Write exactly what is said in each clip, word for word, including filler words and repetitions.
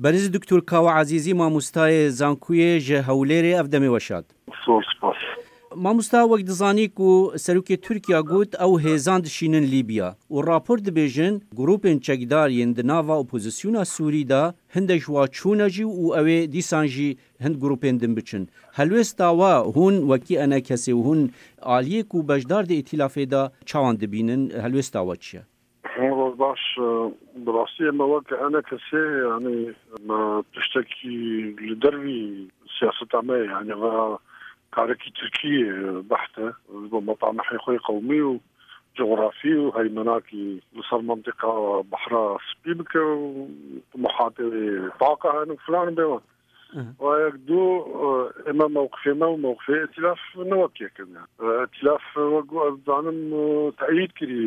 Berîz Doktor Kawa Ezîzî, mamostayê zankuyê ji Hewlêrê, ev demê weşat. Zor spas. Mamosta, wek dizanî ku serokê Tirkiya got, ew hêzan dişînin Lîbya û rapor dibêjin, grûpên çekdar yên di nava opozisyona Sûrî de hindek ji wa çûne jî û ew ê dîsan jî hind grûpên din biçin. Helwêsta we hûn wekî enekesê û hûn aliyê ku beşdar di îtîlafê de çawan dibînin? Helwêsta we çi ye? Roj baş, e, bi rastî me wek enekesê, yanî me tiştekî li dervî siyaseta me ye, yanî ve karekî Tirkî, e, behs e, ji bo metamihê xwe yê qewmî û cografî û heymenakî li ser mentiqa Behra Spî bike û timohatê wê taqa hene û filan bê wan. Wa yek du, e, ême mewqifê me û mewqifê îtîlaf ne wek yek in. E, îtîlaf, e, wek ku ez dizanim, e, teyîd kirî,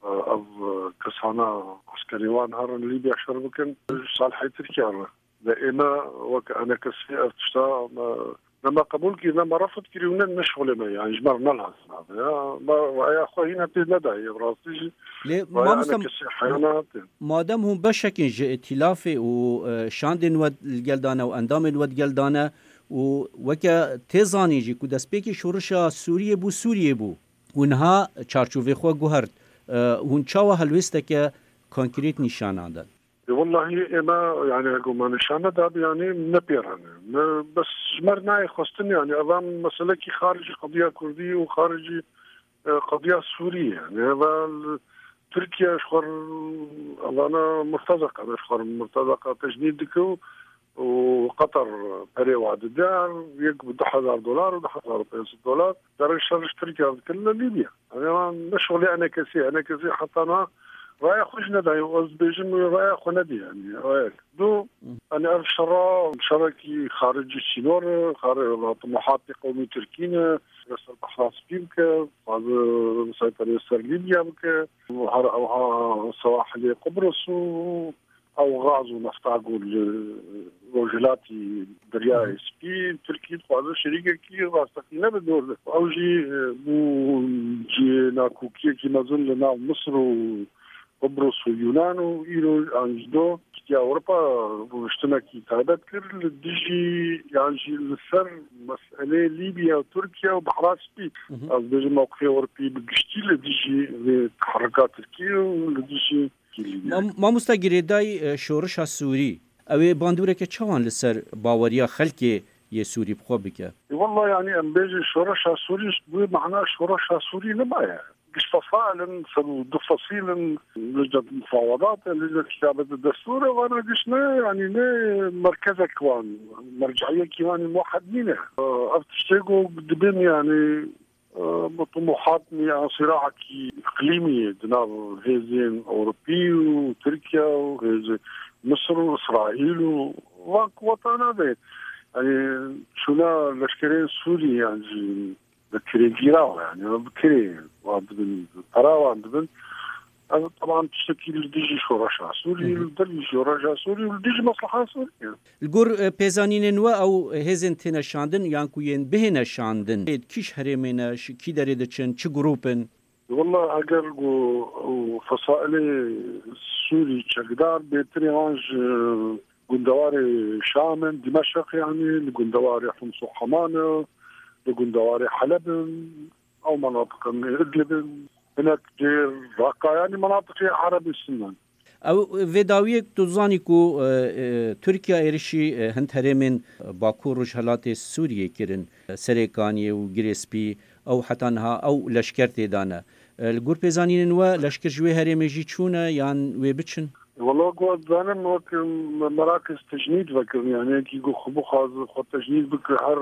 e, ev, e, kesana eskerê wan herin Lîbya şer bikin, ji salihê Tirkiye re. Ve ême wek enekesê ev tişta me, ne me qebûl kirî, ne me refd kirî û ne, ne şixulê me, yanî ji me re ne lazim e. Ya, me raya xwe hîna tê nedayê, bi rastî jî. Lê raya mamosta, enekesê heyana tê. Madem hûn beşek in ji îtîlafê û, e, şandên we li gel dane û endamên we di gel dane û weke tê zanîn jî ku destpêkê şorişa Sûriyê bû, Sûriyê bû û niha çarçovê xwe guhert, e, hûn çawa helwêsteke konkrêt nîşana dan? E, wellahî ême, yanî, hego me nîşan nedabî, yanî, ne pêran e. Me, bes ji me re nayê xwestin, yanî, ev meselekî xaricî qediya Kurdî û xaricî, e, qediya Sûrî ye. Yanî, ev Tirkiye ji xwe re, evana murtezeka, ji xwe re murtezeka tecnîd dike û, û Qatar perê wa dide, yek bi du hezar dolar û du hezar û pênc sed dolar derê şer ji Tirkiye dikin li Lîbya. Yanî, wan ne şixulê enekesî, enekesî heta niha raya xwe jî nedayê û ez dibêjim wê raya xwe nedî, yanî, raya du, yanî, ev şera, şerekî xaricî sînor e, xari-, timohatê qewmî Tirkî ne, ser Behra Spî bike, dixwaze seyterê ser Lîbya bike, her ewha sewahilê Qubris û ew gaz û nefta ku li rojhilatî Deryayê Spî, Tirkî dixwaze şerîkekî rasteqîne be dor de. Ew jî, e, bû cihê nakokiyekî mezin li nav Misir û Qubris û Yunan û îro an jî do giştiye Ewropa rûniştinekî taybet kir li dijî yan jî li ser meseleyê Lîbya, Tirkiye û Behra Spî. Hı hı. Ez dibêjim mewqifê Ewropî bi giştî li dijî vê teherika Tirkiyê û li dijî Mam-, mamosta girêdayî, e, şorişa Sûrî, ew ê bandoreke çawan li ser baweriya xelkê yê Sûrî bi xwe bike? E, wella, yanî, em bêjin şoreşa Sûrî, bi mana şoreşa Sûrî nemaye. Giş fesail in, sed û du fesîl in, lijnet mufawedat e, lijnet kitabet destûr e, vana giş ne, yanî, ne merkezek wan, merceiyekî wan muwahed nîne. E, ev tiştê ku dibin, yanî, bi tumuhatnî an sîraekî îqlîmî di nav hêzên Ewropî û Tirkiye û hêzên Misir û Îsraîl û van kuwetana de, yanî, çûna leşkerên Sûrî yan jî bi kirêgîra, yanî bi kirê wan dibin, bi pera wan dibin. Ev, teban, tiştekî li dijî şoreşa Sûrî, Hı hı. li dijî şoreşa Sûrî û li dijî mesleha Sûrî ye. Li gor, e, pêzanînên we ew hêzên têne şandin yan ku yên bihêne şandin, ê kîş herêmê ne, ji kî derê diçin, çi grûp in? Wella eger ku ew fesailê Sûrî çekdar bêtirê wan ji gundewarê Şam in, Dimeşq, yanî li gundewarê Hims û Heman e, li gundewarê Heleb in, ew menatiq in, Idlib in, hinek jê Raqqa, yanî menatiqê Erebê Sunne in. Ew vê dawiyê tu zanî ku, e, e, Tirkiye êrişî, e, hind herêmên Bakur Rojhelatê Sûriyê kirin, e, Serêkaniyê û Girê Spî, ew heta niha ew leşker tê de ne. E, li gor pêzanînên we leşker ji wê herêmê jî çûne yan wê biçin? Wela, ku ez dizanim, wek me-, merakiz tecnîd vekirin, yanî yekî ku xwe bixwaze xwe tecnîd bike, her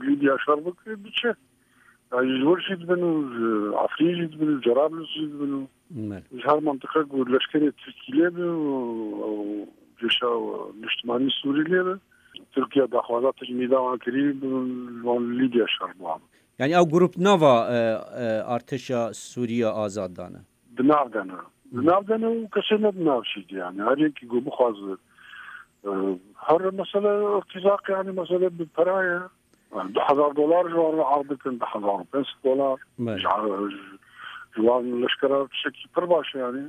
Lîbya şer bike, diçe. Yanî ji wir jî dibin û ji Efrîn jî dibin û Cerablus jî dibin û Belê. Ji her mentiqe ku leşkerê Tirkî lê be û, û cêşa niştimanî Sûrî lê be, Tirkiye daxwaza tecnîda wan kirî, bi wan Lîbya şer biwan. Yanî ew grup nava, e, e, artêşa Sûriya azad dane? Di nav de ne. Di nav de ne û kesê ne di nav jî de, yanî her yekî ku bixwaze, e, her mesele irtîzaq, yanî mesele bi pera ye. Yani du hezar dolar ji wan re ard dikin, du hezar û pênc sed dolar. Belê. Ji, ji, ji wan leşkera tiştekî pir baş e, yani.